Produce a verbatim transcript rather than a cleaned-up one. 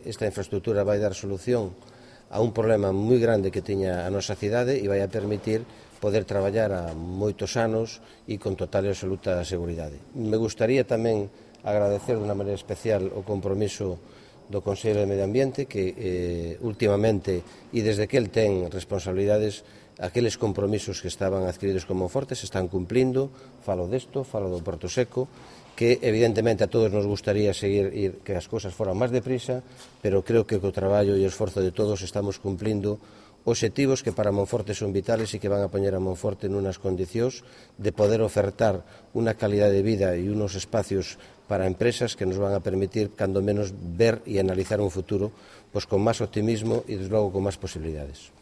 Esta infraestructura vai dar solución a un problema moi grande que tiña a nosa cidade e vai a permitir poder traballar a moitos anos e con total e absoluta seguridade. Me gustaría tamén agradecer de unha maneira especial o compromiso do Consello de Medio Ambiente que eh, últimamente e desde que el ten responsabilidades aqueles compromisos que estaban adquiridos con Monforte se están cumplindo. Falo desto, falo do Porto Seco, que evidentemente a todos nos gustaría seguir ir, que as cousas foran máis deprisa, pero creo que co traballo e o esforzo de todos estamos cumplindo obxectivos que para Monforte son vitales e que van a poñer a Monforte nunas condicións de poder ofertar unha calidade de vida e unos espacios para empresas que nos van a permitir, cando menos, ver e analizar un futuro pois, con máis optimismo e, desde logo, con máis posibilidades.